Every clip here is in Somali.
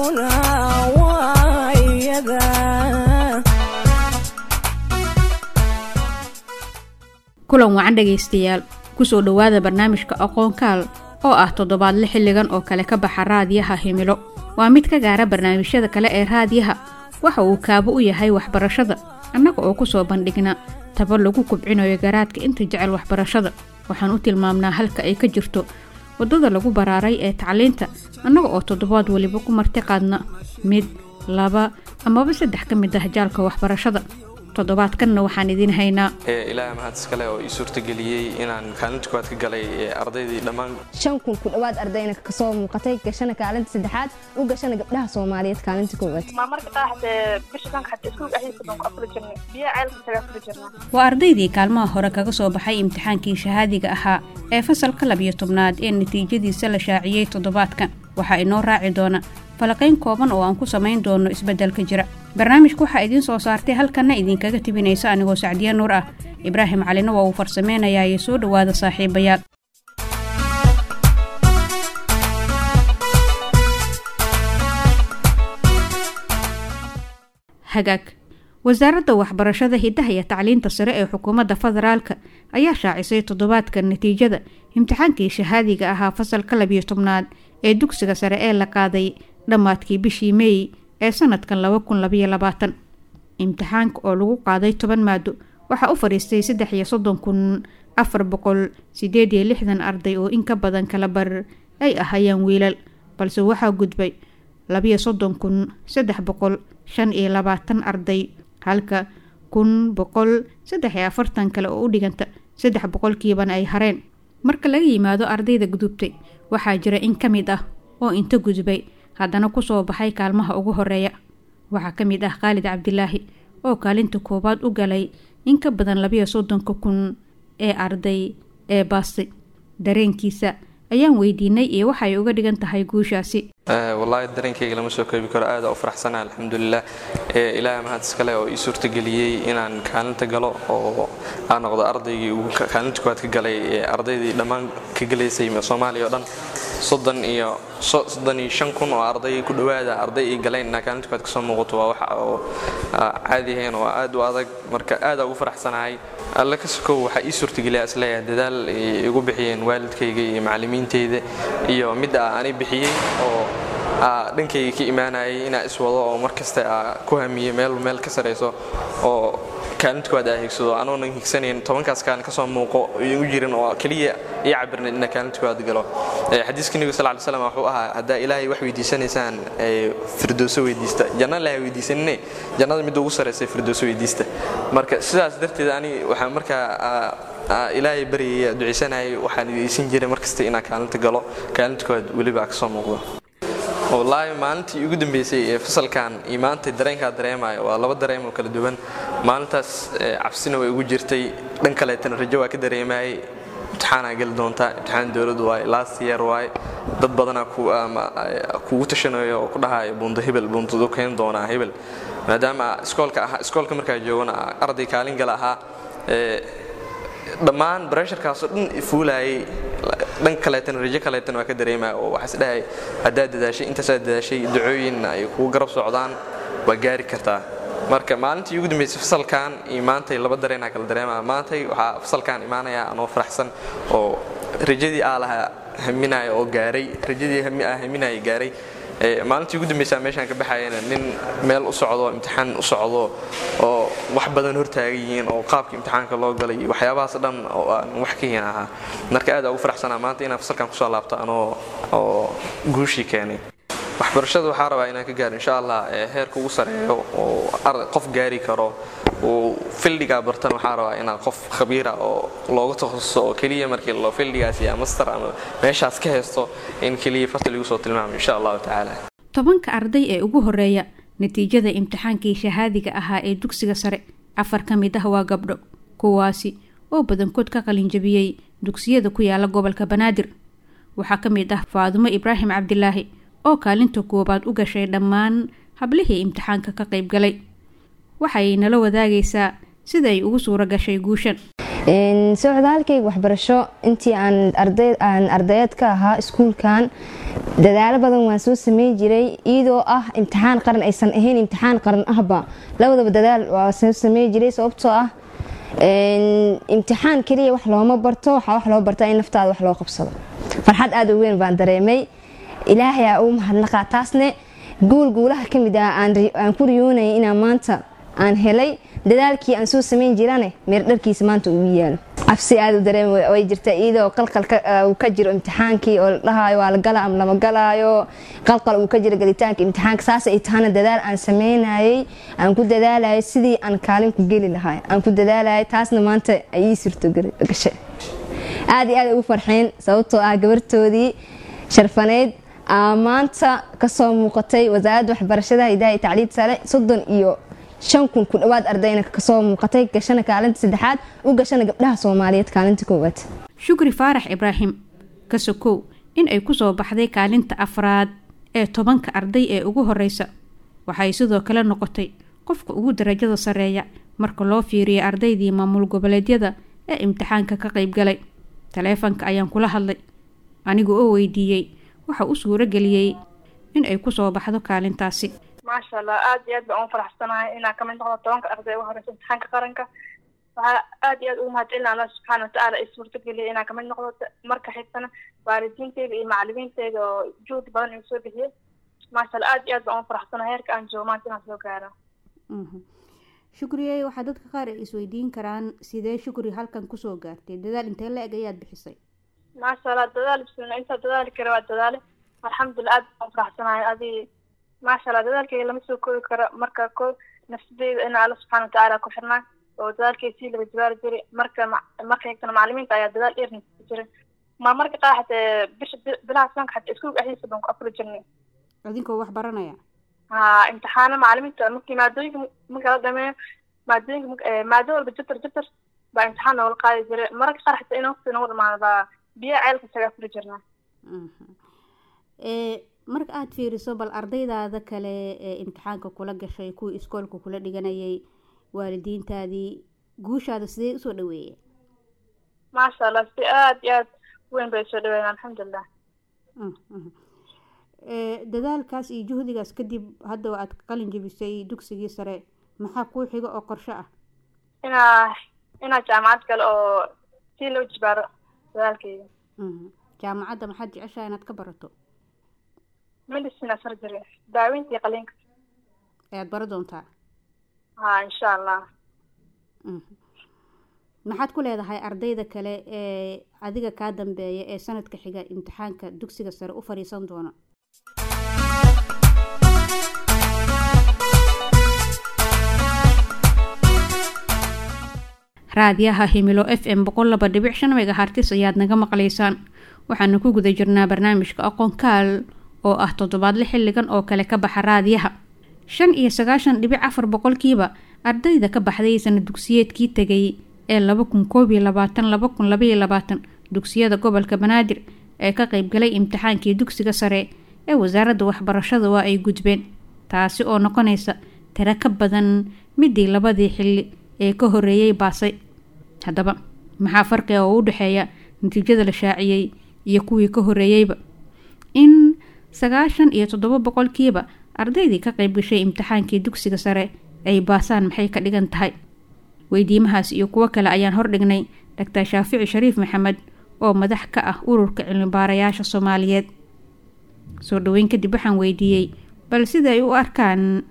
Aqoontuna waa iyada. Kulan wacan dhegaystayaal, kusoo dhowaada barnaamijka Aqoonkaal oo ah toddobaadle xilligan oo kale ka baxa Raadiyaha Himilo. Waa mid ka gaara barnaamijyada kale ee raadiyaha. Waxa uu kaabo u yahay waxbarashada, annaga oo kusoo bandhigna taba lagu kubcinayo garaadka inta jecel waxbarashada. Waxaan u tilmaamnaa halka ay ka jirto waddada lagu baraaray ee tacliinta, annaga oo toddobaad weliba ku marti qaadna mid, laba amaba saddex ka mid ah jaalka waxbarashada. Toddobaadkanna waxaan idiin haynaa: Ilaaha mahad iskale oo ii suurtageliyey inaan kaalinta koowaad ka galay ardaydii dhammaan. 5000 ku dhowaad ardayna kasoo muuqatay, gashana kaalinta saddexaad, u gashana gabdhaha Soomaaliyeed kaalinta koowaad. Marka qaar bisha sanka xataa iskuulka dhexdiisa baan ku afuri jirnay, biyaha ceelka kaga afuri jirnaa. Waa ardaydii kaalmaha hore kaga soo baxay imtixaankii shahaadiga ahaa ee fasalka 12aad ee natiijadiisa la shaaciyey toddobaadkan. Waxaa inoo raaci doona falaqayn kooban oo aan ku samayn doono isbeddelka jira. Barnaamijka waxaa idiin soo saartay, halkanna idinkaga tibinaysa anigoo Sacdiye Nuur ah. Ibraahim Calina waa uu farsameynayaa. Soo dhowaada saaxiibayaal. Hagaag. Wasaaradda Waxbarashada, Hiddaha iyo Tacliinta Sare ee xukuumadda federaalka ayaa shaacisay toddobaadka natiijada imtixaankii shahaadiga ahaa fasalka 12aad ee dugsiga sare ee la qaaday dhammaadkii bishii Meey ee sanadkan 2022. Imtixaanka oo lagu qaaday 10 maado waxaa u fadhiistay 33,468 arday, oo in ka badan kala bar ay ahayeen wiilal, balse waxaa gudbay 32,325 arday, halka 1,143 kale oo u dhiganta 3 boqolkiibana ay hareen. Marka laga yimaado ardayda gudubtay, waxaa jira in ka mid ah oo inta gudbay haddana kusoo baxay kaalmaha ugu horeeya. Waxaa ka mid ah Khaalid Cabdilaahi oo kaalinta koowaad u galay in ka badan 32,000 ee arday ee baastay. Dareenkiisa ayaan weydiinay iyo waxay uga dhigan tahay guushaasi. Wallaahi dareenkayga lama soo koobi karo, aada u faraxsana, alxamdulilah. Ilaaha mahad iskale oo ii suurtageliyey inaan kaalinta galo oo aan noqdo ardaygii ugu kaalinta koowaad ka galay ardaydii dhammaan ka galaysay Soomaaliya oo dhan. 35,000 oo arday ku dhowaada arday ay galeen, inaa kaalinta koowaad kasoo muuqato waa wax oo caadi ahayn oo aad u adag. Marka aada ugu faraxsanahay. Alle ka sokow waxaa ii suurtageliya isleeyahay dadaal ay igu bixiyeen waalidkayga iyo macallimiinteyda iyo midda ani bixiyey oo dhankayga ka imaanayay, inaa iswado oo mar kasta ku hamiyey meel meel ka sarayso oo kaalinta koowaad aa higsado, anoonan higsanayn 10kaas kaalin kasoo muuqo igu jirin oo keliya ii cabirnayd inaa kaalinta koowaad galo. Xadiiska Nebiga sal ly slam wuxuu ahaa: haddaa Ilaahay wax weydiisanaysaan, firdowso weydiista. Janna Ilahay weydiisanine, jannada midda ugu saraysay firdowso weydiista. Marka sidaas darteed ani waxaan markaa Ilaahay baryaya, ducaysanayay, waxaan weydiisan jiray markasta inaan kaalinta galo, kaalinta koowaad weliba kasoo muuqdo. Wallaahi maalintii ugu dambeysay ee fasalkan iyo maanta dareenkaa dareemayo waa laba dareem oo kala duwan. Maalintaas cabsina way ugu jirtay, dhan kaleetana rajo waa ka dareemayay. Imtixaanaa geli doontaa, imtixaan dowlad waaye, last year waaye, dad badanaa kugu tashanayo oo ku dhahayo buundo hebel buundadu keeni doonaa hebel. Maadaama iskoolka ahaa, iskoolka markaa joogana arday kaalin gala ahaa, dhammaan bresharkaasoo dhan fuulayay, dhan kaleetana rajo kaleetana waa ka dareemaya oo waxaa isdhahay haddaad dadaashay, intaasaad dadaashay, ducooyinna ay kugu garab socdaan, waa gaari kartaa. Marka maalintii ugu dambeysay fasalkan iyo maantay laba dareenaa kala dareemaya. Maantay waxaa fasalkan imaanaya anoo faraxsan oo rajadii aa lahaa haminaya oo gaaray, rajadii aa haminaya gaaray. Maalintii ugu dambaysaa meeshaan ka baxayana nin meel u socdo, imtixaan u socdo oo wax badan hortaagan yihiin oo qaabka imtixaanka loo galay iyo waxyaabahaas dhan oo aan wax ka hin ahaa. Marka aad ugu faraxsanaa maanta inaan fasalkan kusoo laabto anoo oo guushii keenay. Waxbarashada waxaa rabaa inaan ka gaaro insha Allah heerka ugu sareeyo oo qof gaari karo uu fildigaa bartan. Waxaa rabaa inaan qof khabiira oo looga takhasuso oo keliya markii loo fildigaas iyo master ama meeshaas ka haysto in keliya farta lagu soo tilmaamo insha Allahu tacaala. 10ka arday ee ugu horeeya natiijada imtixaankii shahaadiga ahaa ee dugsiga sare, afar ka mid ah waa gabdho, kuwaasi oo badankood ka qalinjabiyey dugsiyada ku yaala gobolka Banaadir. Waxaa ka mid ah Faadumo Ibraahim Cabdilaahi oo kaalinta koowaad u gashay dhammaan hablihii imtixaanka ka qayb galay. Waxay nala wadaagaysaa sida ay ugu suura gashay guushan. Socdaalkayga waxbarasho intii aan arday aan ardayeed ka ahaa iskuulkan Dadaalo badan waan soo sameyn jiray, iyadoo ah imtixaan qaran aysan ahayn, imtixaan qaran ahba labadaba dadaal waa soo sameyn jiray, sababtoo ah imtixaan keliya wax looma barto, waxaa wax loo bartaa in naftaada wax loo qabsado. Farxad aada u weyn baan dareemay, Ilaahay aa ugu mahadnaqaa. Taasne guul guulaha ka mid ah aan ku riyoonayay inaan maanta aan helay, dadaalkii aan soo sameyn jirane meer dharkiisa maanta uu yaalo. Cabsi aada u dareem way jirta, iyadoo qalqal uu ka jiro imtixaankii oo la dhahaayo waa la gala ama lama galaayo, qalqal uu ka jiro galitaanka imtixaanka. Saas ay tahana dadaal aan sameynayay, aan ku dadaalayay sidii aan kaalin ku geli lahay, aan ku dadaalayay, taasna maanta ay ii suurto gashay. Aada iyo aad ugu farxeen, sababtoo ah gabartoodii sharfaneyd maanta kasoo muuqatay Wasaaradda Waxbarashada, Hidaha iyo Tacliinta Sare, 35,000 ku dhawaad ardayna kasoo muuqatay, gashana kaalinta saddexaad, u gashana gabdhaha Soomaaliyeed kaalinta koowaad. Shukri Faarax Ibraahim ka sokow in ay kusoo baxday kaalinta afraad ee 10-ka arday ee ugu horeysa, waxay sidoo kale noqotay qofka ugu darajada sareeya marka loo fiiriyo ardaydii maamul goboleedyada ee imtixaanka ka qaybgalay. Taleefanka ayaan kula hadlay anigu oo weydiiyey waxa u suuro geliyey in ay kusoo baxdo kaalintaasi. Maasha Allah, aad iyo aad baan ugu faraxsanahay inaan kamid noqdo 10-ka arday ugu horeysa imtixaanka qaranka. Waxaa aad iyo aad ugu mahadcelina Allah subxaana watacaala i suurtageliyay inaan kamid noqdo. Marka xigtana waalidiinteyda iyo macalimiinteyda oo juhdi badan igu soo bixiyey. Maasha Allah, aad iyo aad baan ugu faraxsanahay heerka aan joogo maanta inaan soo gaaro. Shukriyey, waxaa dadka qaar ay isweydiin karaan sidee Shukri halkan kusoo gaartay, dadaal intee la eg ayaad bixisay? Maasha Allah, dadaal bismillah, intaa dadaali kara waa dadaale. Alxamdulilah, aad baan faraxsanahay. Adi maasha Allah, dadaalkayga lama soo koobi karo. Marka ko nafsadeyda ina Alla subxaana watacaala ku xirnaa oo dadaalkay sii laba jibaari jiray. Marka xigtana macalimiinta ayaa dadaal dheer jiray. Marmarka qaar xatee bisha bilaha soonka xataa iskuulka dhexdiisa baan ku afuri jirnay. Adinkoo wax baranaya? Ha, imtixaano macalimiinta markii maadooyinka marka la dhameeyo maadooyinka, maado walba jabtar jabtar baa imtixaan noogala qaadi jiray. Mararka qaar xataa in waqti noogu dhamaado baa biyaha ceelka isaga afuri jirnaa. Marka aada fiiriso bal ardaydaada kale ee imtixaanka kula gashay, kuwii iskoolka kula dhiganayay, waalidiintaadii, guushaada sidee usoo dhaweeyeen? Maasha Allah, si aada iyo aad weyn bay usoo dhaweeyeen, alxamdulilah. Dadaalkaas iyo juhdigaas kadib hadda aad qalin jebisay dugsigii sare, maxaa kuu xiga oo qorshe ah? Inaa jaamacad kale oo si loo jibaaro dadaalkeyga. Jaamacadda maxaad jeceshahay inaad ka barato? Medicine, surgery, daaweynta iyo qaliinka. Ayaad bara doontaa? Ha, insha Allah. Maxaad ku leedahay ardayda kale ee adiga kaa dambeeya ee sanadka xiga imtixaanka dugsiga sare u fadhiisan doona? Raadiyaha Himilo FM 102.5 megahertz ayaad naga maqlaysaan. Waxaanu ku guda jirnaa barnaamijka Aqoonkaal oo ah toddobaadle xilligan oo kale ka baxa raadiyaha. 95.4% ardayda ka baxday sanad dugsiyeedkii tegay ee 2021 2022 dugsiyada gobolka Banaadir ee ka qaybgalay imtixaankii dugsiga sare ee Wasaaradda Waxbarashada waa ay gudbeen, taasi oo noqonaysa tiro ka badan midii labadii xilli ee ka horeeyey baasay. Haddaba maxaa farqiga oo u dhexeeya natiijada la shaaciyey iyo kuwii ka horeeyeyba? In 97% ardaydii ka qayb gashay imtixaankii dugsiga sare ay baasaan maxay ka dhigan tahay? Weydiimahaas iyo kuwo kale ayaan hordhignay Doctor Shaafici Shariif Maxamed oo madax ka ah Ururka Cilmibaarayaasha Soomaaliyeed. Soo dhaweyn kadib waxaan weydiiyey bal sida ay u arkaan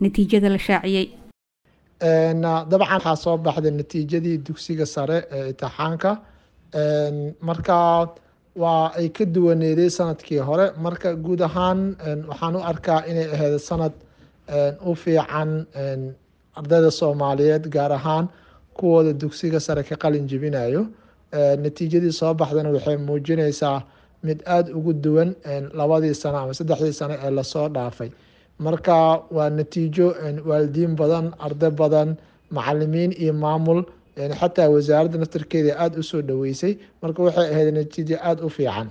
natiijada la shaaciyey. Dabcan waxaa soo baxday natiijadii dugsiga sare ee imtixaanka, marka waa ay ka duwaneeday sanadkii hore. Marka guud ahaan waxaan u arkaa inay ahayd sanad u fiican ardayda Soomaaliyeed, gaar ahaan kuwooda dugsiga sare ka qalin jebinayo. Natiijadii soo baxdana waxay muujinaysaa mid aada ugu duwan labadii sano ama saddexdii sano ee lasoo dhaafay. Marka waa natiijo waalidiin badan, arday badan, macalimiin iyo maamul, xataa wasaaradda naftarkeeda aada usoo dhaweysay. Marka waxay ahayd natiijo aada u fiican.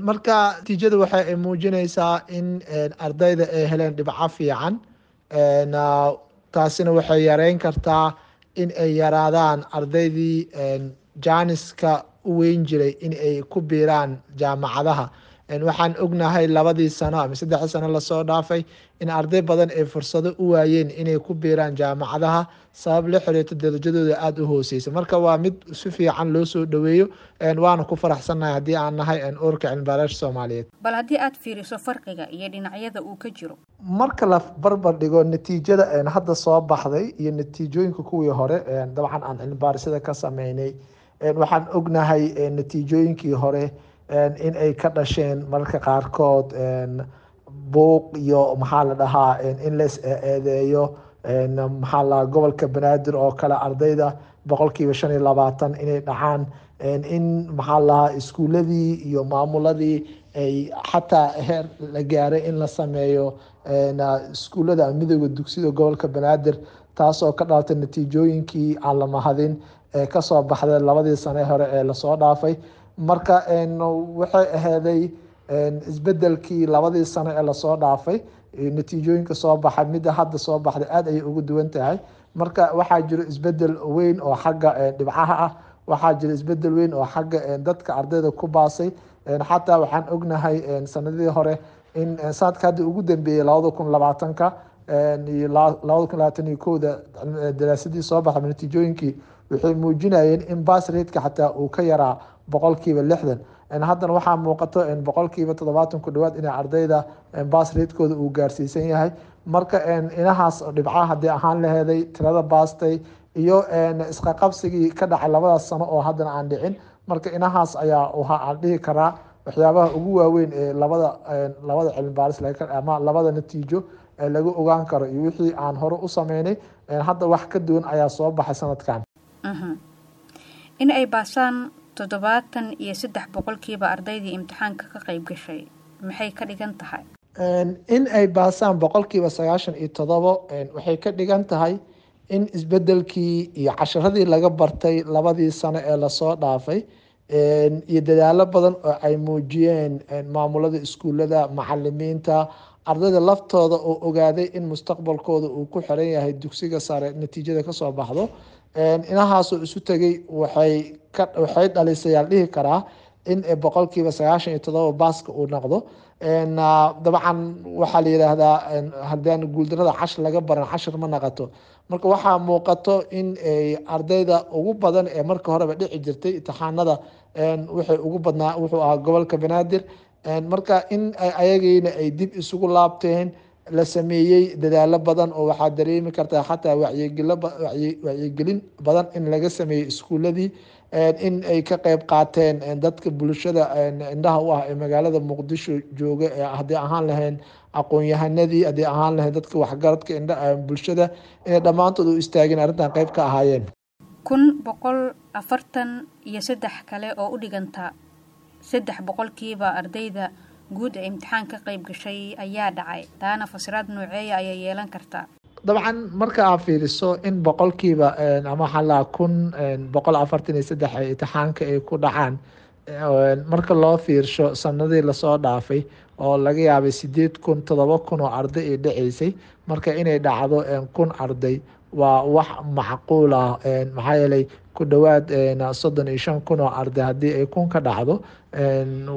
Marka natiijada waxa ay muujinaysaa in ardayda ay heleen dhibco fiican, taasina waxay yareyn kartaa in ay yaraadaan ardaydii jaaniska u weyn jiray in ay ku biiraan jaamacadaha. Waxaan ognahay 2dii sano ama 3dii sano lasoo dhaafay in arday badan ay fursado u waayeen inay ku biiraan jaamacadaha sabab la xiriirta darajadooda aada u hooseysa. Marka waa mid si fiican loo soo dhaweeyo, waana ku faraxsannahay haddii aan nahay Ururka Cilmibaarayaasha Soomaaliyeed. Bal haddii aad fiiriso farqiga iyo dhinacyada uu ka jiro? Marka la barbar dhigo natiijada hadda soo baxday iyo natiijooyinka kuwii hore, dabcan aan cilmibaarisada ka sameynay, waxaan ognahay natiijooyinkii hore in ay ka dhasheen mararka qaarkood buuq iyo, maxaa la dhahaa, in la is eedeeyo, maxaa la, gobolka Banaadir oo kale ardayda 25% inay dhacaan, in, maxaa la dhahaa, iskuuladii iyo maamuladii ay xataa heer la gaaray in la sameeyo iskuullada midooda dugsida gobolka Banaadir, taasoo ka dhalatay natiijooyinkii aan la mahadin ee kasoo baxday 2dii sane hore ee lasoo dhaafay. Marka waxay aheeday isbedelkii 2dii sano ee lasoo dhaafay natiijooyinka soo baxay, midda hadda soo baxday aada ayay ugu duwan tahay. Marka waxaa jiro isbedel weyn oo xagga dhibcaha ah, waxaa jira isbedel weyn oo xagga dadka ardayda ku baasay. Xataa waxaan ognahay sanadihii hore in sanadka hadda ugu dambeeyey 2020-ka iyo 2021-da daraasadii soo baxay natiijooyinkii waxay muujinayeen in pass rateka xataa uu ka yaraa 60%. Haddana waxaa muuqato 70% ku dhawaad inay ardayda pass ratekooda uu gaarsiisan yahay. Marka inahaas dhibcaha haddii ahaan laheeday, tirada baastay iyo isqaqabsigii ka dhacay labadaas sano oo haddana aan dhicin, marka inahaas ayaa waxa aan dhihi karaa waxyaabaha ugu waaweyn ee labada cilmi baaris ama labada natiijo ee lagu ogaan karo iyo wixii aan hore u sameynay hadda wax ka duwan ayaa soo baxay sanadkan. In ay baasaan 73% ardaydii imtixaanka ka qayb gashay, maxay ka dhigan tahay? In ay baasaan 97% waxay ka dhigan tahay in isbedelkii iyo casharadii laga bartay 2dii sano ee lasoo dhaafay iyo dadaalo badan oo ay muujiyeen maamulada iskuullada, macalimiinta, ardayda laftooda oo ogaaday in mustaqbalkooda uu ku xiran yahay dugsiga sare natiijada kasoo baxdo, inahaasoo isu tegay waxay dhalisay aan dhihi karaa in 97% baaska uu noqdo. Dabcan waxaa la yidhaahdaa haddaan guuldarada cashir laga baran, cashir ma naqato. Marka waxaa muuqato in ardayda ugu badan ee marka horeba dhici jirtay imtixaanada waxay ugu badnaa wuxuu ahaa gobolka Banaadir. Marka in ayagiina ay dib isugu laabteen, la sameeyey dadaalo badan oo waxaa dareemi kartaa xataa wacyigelin badan in laga sameeyey iskuuladii, in ay ka qeyb qaateen dadka bulshada indhaha u ah ee magaalada Muqdisho jooga, haddii ahaan lahayn aqoon-yahanadii, haddii ahaan lahayn dadka waxgaradka indha bulshada, inay dhammaantood u istaageen arrintan qayb ka ahaayeen. 1143 kale oo u dhiganta 3% ardayda guud ee imtixaan ka qayb gashay ayaa dhacay. Taana fasiraad nooceeya ayay yeelan kartaa? Dabcan marka aad fiiriso in boqolkiiba ama waxaa lahaa 1143 ay imtixaanka ay ku dhacaan, marka loo fiirsho sanadii lasoo dhaafay oo laga yaabay 8000, 7000 oo arday ay dhaceysay, marka inay dhacdo 1000 arday waa wax macquul ah. Maxaa yeelay ku dhowaad 35,000 oo arday haddii ay 1000 ka dhacdo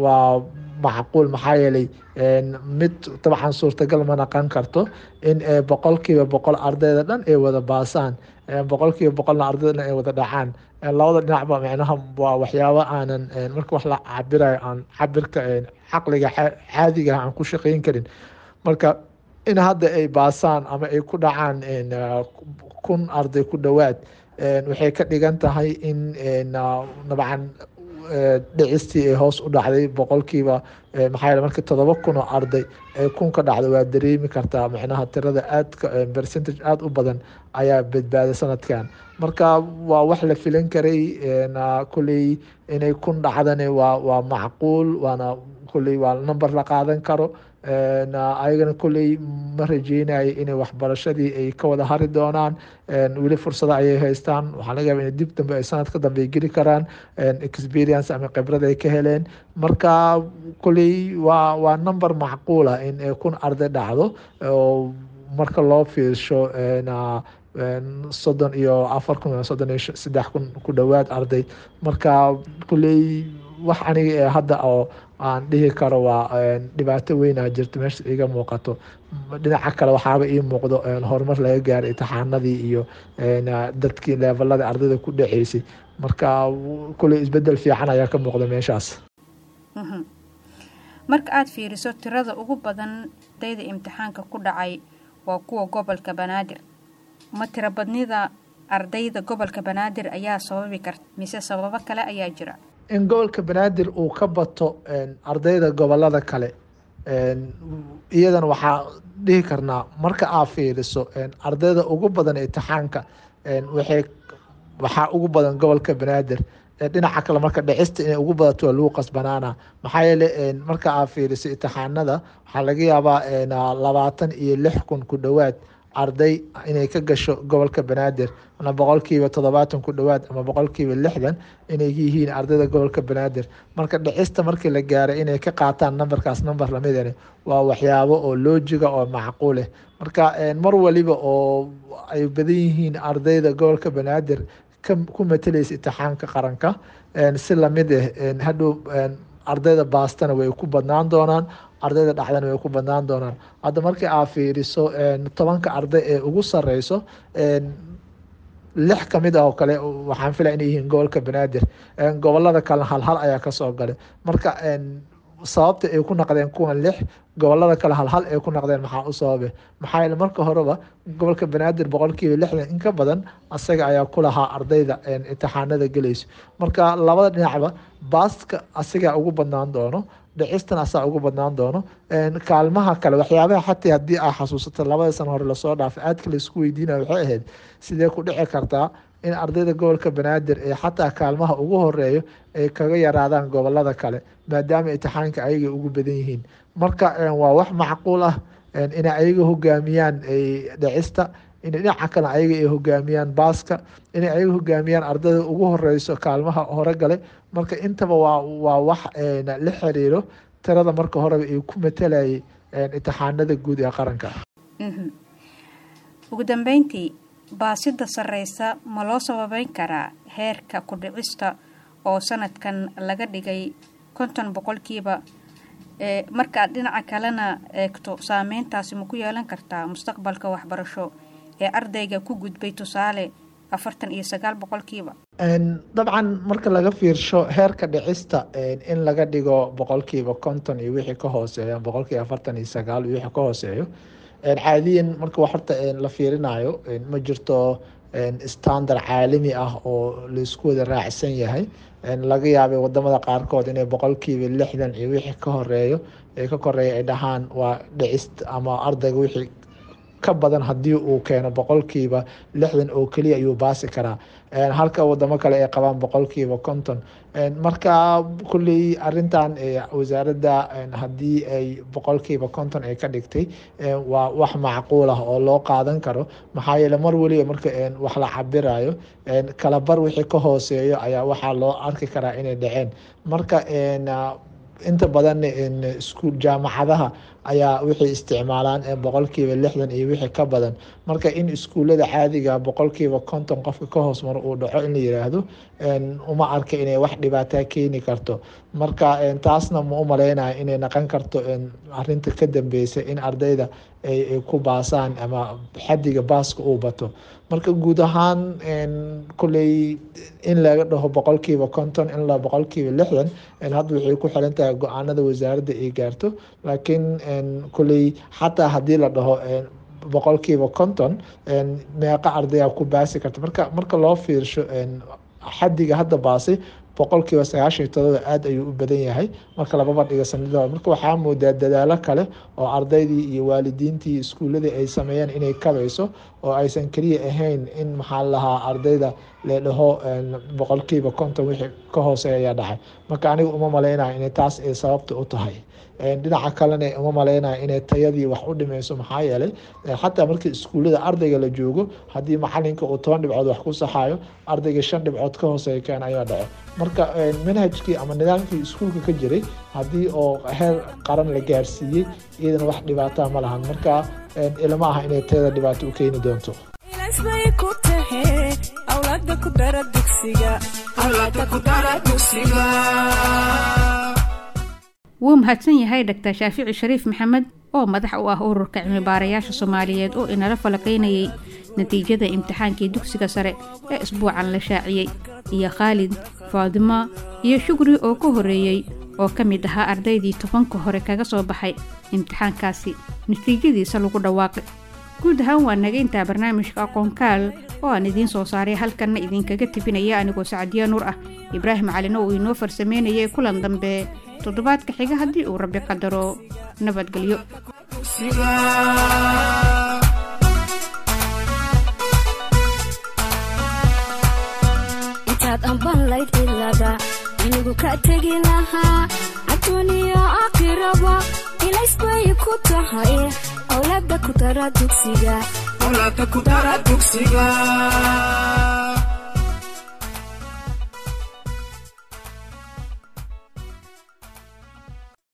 waa macquul. Maxaa yeelay mid dabcan suurtagal ma naqon karto in 100% ardayda dhan ay wada baasaan, 100%na ardayda dhan ay wada dhacaan. Labada dhinacba micnaha waa waxyaabo aanan marka wax la cabirayo aan cabirka caqliga caadiga aan ku shaqeyn karin. Marka in hadda ay baasaan ama ay ku dhacaan 1000 arday ku dhowaad waxay ka dhigan tahay in dabcan dhicistii ay hoos u dhacday boqolkiiba. Maxaa yeele marka 7000 oo arday ay 1000 ka dhacdo, waa dareemi kartaa micnaha tirada aadka percentage aada u badan ayaa badbaaday sanadkan. Marka waa wax la filan karay kulley inay 1000 dhacdane waa macquul, waana kulley waa number la qaadan karo. Ayagana kulley ma rajeynayo inay waxbarashadii ay ka wada hari doonaan. Weli fursado ayay haystaan. Waxaa laga yaaba inay dib dambe ay sanadka dambe ay geli karaan, experience ama khibrad ay ka heleen. Marka kulley waa number macquul ah in 1000 arday dhacdo oo marka loo fiirsho 34,000, 33,000 ku dhowaad arday. Marka kulley Wax aniga hadda oo aan dhihi karo waa dhibaato weynaa jirto meesha iga muuqato. Dhinaca kale waxaaba ii muuqdo horumar laga gaaray imtixaanadii iyo dadkii levelada ardayda ku dhaceysay. Marka kuley isbedel fiican ayaa ka muuqda meeshaas. Marka aada fiiriso, tirada ugu badan ardayda imtixaanka ku dhacay waa kuwa gobolka Banaadir. Ma tiro badnida ardayda gobolka Banaadir ayaa sababi karta, mise sababo kale ayaa jira? In gobolka Banaadir uu ka bato ardayda gobolada kale, iyadana waxaa dhihi karnaa marka aad fiiriso ardayda ugu badan imtixaanka waxay waxaa ugu badan gobolka Banaadir. Dhinaca kale marka dhicista inay ugu badato waa lagu qasbanaana, maxaa yeele marka aad fiiriso imtixaanada waxaa laga yaabaa 26,000 ku dhowaad arday inay ka gasho gobolka Banaadir, ama 70% ku dhowaad ama 60% inay yihiin ardayda gobolka Banaadir. Marka dhicista markii la gaaray inay ka qaataan nambarkaas nambar lamidani waa waxyaabo oo loojiga oo macquul eh. Marka mar waliba oo ay badan yihiin ardayda gobolka Banaadir ku matalaysa imtixaanka qaranka, si lamid ah hadhow ardayda baastana way ku badnaan doonaan, ardayda dhacdana way ku badnaan doonaan. Hadda markii aad fiiriso 10-ka arday ee ugu sareyso, 6 kamid ah oo kale waxaan filaya inay yihiin gobolka Banaadir, gobolada kalena hal hal ayaa kasoo galay. Marka sababta ay ku naqdeen kuwan 6, gobolada kale hal hal ay ku naqdeen, maxaa u sababe? Maxaa yeele marka horeba gobolka Banaadir 60% in ka badan asaga ayaa ku lahaa ardayda imtixaanada gelayso. Marka labada dhinacba baaska asigaa ugu badnaan doono, dhicistan asaa ugu badnaan doono. Kaalmaha kale waxyaabaha xataa haddii aa xasuusato labada sano hore lasoo dhaafay aadka laisku weydiinaya waxay ahayd sidee ku dhici kartaa in ardayda gobolka Banaadir ee xataa kaalmaha ugu horeeyo ay kaga yaraadaan gobolada kale, maadaama imtixaanka ayaga ugu badan yihiin. Marka waa wax macquul ah inay ayaga hogaamiyaan dhicista, in dhinaca kale ayaga ay hogaamiyaan baaska, inay ayaga hogaamiyaan ardayda ugu horeyso kaalmaha hore gale. Marka intaba waa wax la xiriiro tirada marka horeba ay ku matalayay imtixaanada guud ee qaranka. Ugu dambeyntii, baasida sareysa ma loo sababeyn karaa heerka ku dhicista oo sanadkan laga dhigay 50%? Marka aad dhinaca kalena eegto, saameyntaasi ma ku yeelan kartaa mustaqbalka waxbarasho ee ardayga ku gudbay, tusaale, 49%? Dabcan marka laga fiirsho heerka dhicista in laga dhigo 50% iyo wixii ka hooseeya, 49% iyo wixii ka hooseeyo, caadiyan marka wax horta la fiirinayo ma jirto standard caalami ah oo laisku wada raacsan yahay. Laga yaabay wadamada qaarkood inay 60% iyo wixii ka horeeyo ee ka koreeya ay dhahaan waa dhicist, ama ardayga wixii ka badan haddii uu keeno 60% oo keliya ayuu baasi karaa, halka wadamo kale ay qabaan 50%. Marka kulley arintan wasaaradda haddii ay 50% ay ka dhigtay waa wax macquul ah oo loo qaadan karo, maxaa yeele mar weliba marka wax la cabirayo kala bar wixii ka hooseeyo ayaa waxaa loo arki karaa inay dhaceen. Marka inta badan iskuul jaamacadaha ayaa waxay isticmaalaan 60% iyo wixii ka badan. Marka in iskuullada caadiga 50% qofka ka hoos maro uu dhaco in la yiraahdo uma arka inay wax dhibaataa keeni karto. Marka taasna ma u maleynayo inay naqon karto arinta ka dambeysa in ardayda ay ku baasaan ama xadiga baaska uu bato. Marka guud ahaan kulley in laga dhaho 50% ilaa 60% hadda waxay ku xiran tahay go-aanada wasaaradda ay gaarto. Laakiin kulley xataa haddii la dhaho 50% meeqa ardayaa ku baasi karta? Marka loo fiirsho xadiga hadda baasay 97% aada ayuu u badan yahay marka lababa dhiga sanadada. Marka waxaa moodaa dadaalo kale oo ardaydii iyo waalidiintii iskuuladii ay sameeyeen inay kabayso oo aysan keliya ahayn in maxaa lahaa ardayda la dhaho 50% wixii ka hooseeya ayaa dhacay. Marka aniga uma maleynayo inay taas ay sababta u tahay. Dhinaca kalena uma maleynayo inay tayadii wax u dhimeyso, maxaa yeelay xataa markii iskuullada ardayga la joogo haddii macalinka uu 10 dhibcood wax ku saxayo, ardayga 5 dhibcood ka hooseeya keen ayaa dhaco. Marka manhajkii ama nidaamkii iskuulka ka jiray haddii oo heer qaran la gaarsiiyey iyadana wax dhibaataa ma lahan. Marka ilama aha inay tayada dhibaato u keeni doonto. Ilays bay ku tahay awlaada. Awlaada ku dara dugsiga, awlaada ku dara dugsiga. Wuu mahadsan yahay Dhaktar Shaafici Shariif Maxamed oo madax u ah Ururka Cilmibaarayaasha Soomaaliyeed oo inala falaqaynayay natiijada imtixaankii dugsiga sare ee isbuucan la shaaciyey, iyo Khaalid, Faadimo iyo Shukri oo ka horreeyey oo ka mid ahaa ardaydii 10-ka hore kaga soo baxay imtixaankaasi natiijadiisa lagu dhawaaqay. Guud ahaan waa naga intaa barnaamijka Aqoonkaal oo aan idiin soo saaray, halkanna idinkaga tebinaya anigoo Sacadiya Nuur ah, Ibraahim Calina uu inoo farsameynayay. Kulan dambe toddobaadka xiga haddii uu Rabbi qadaro. Nabadgelyo. Intaad ambanlayd cilada inigu ka tegi lahaa, adduuniya aakhiraba ilays bay ku tahay. Awlaada ku dara dugsiga, awlaada ku dara dugsiga.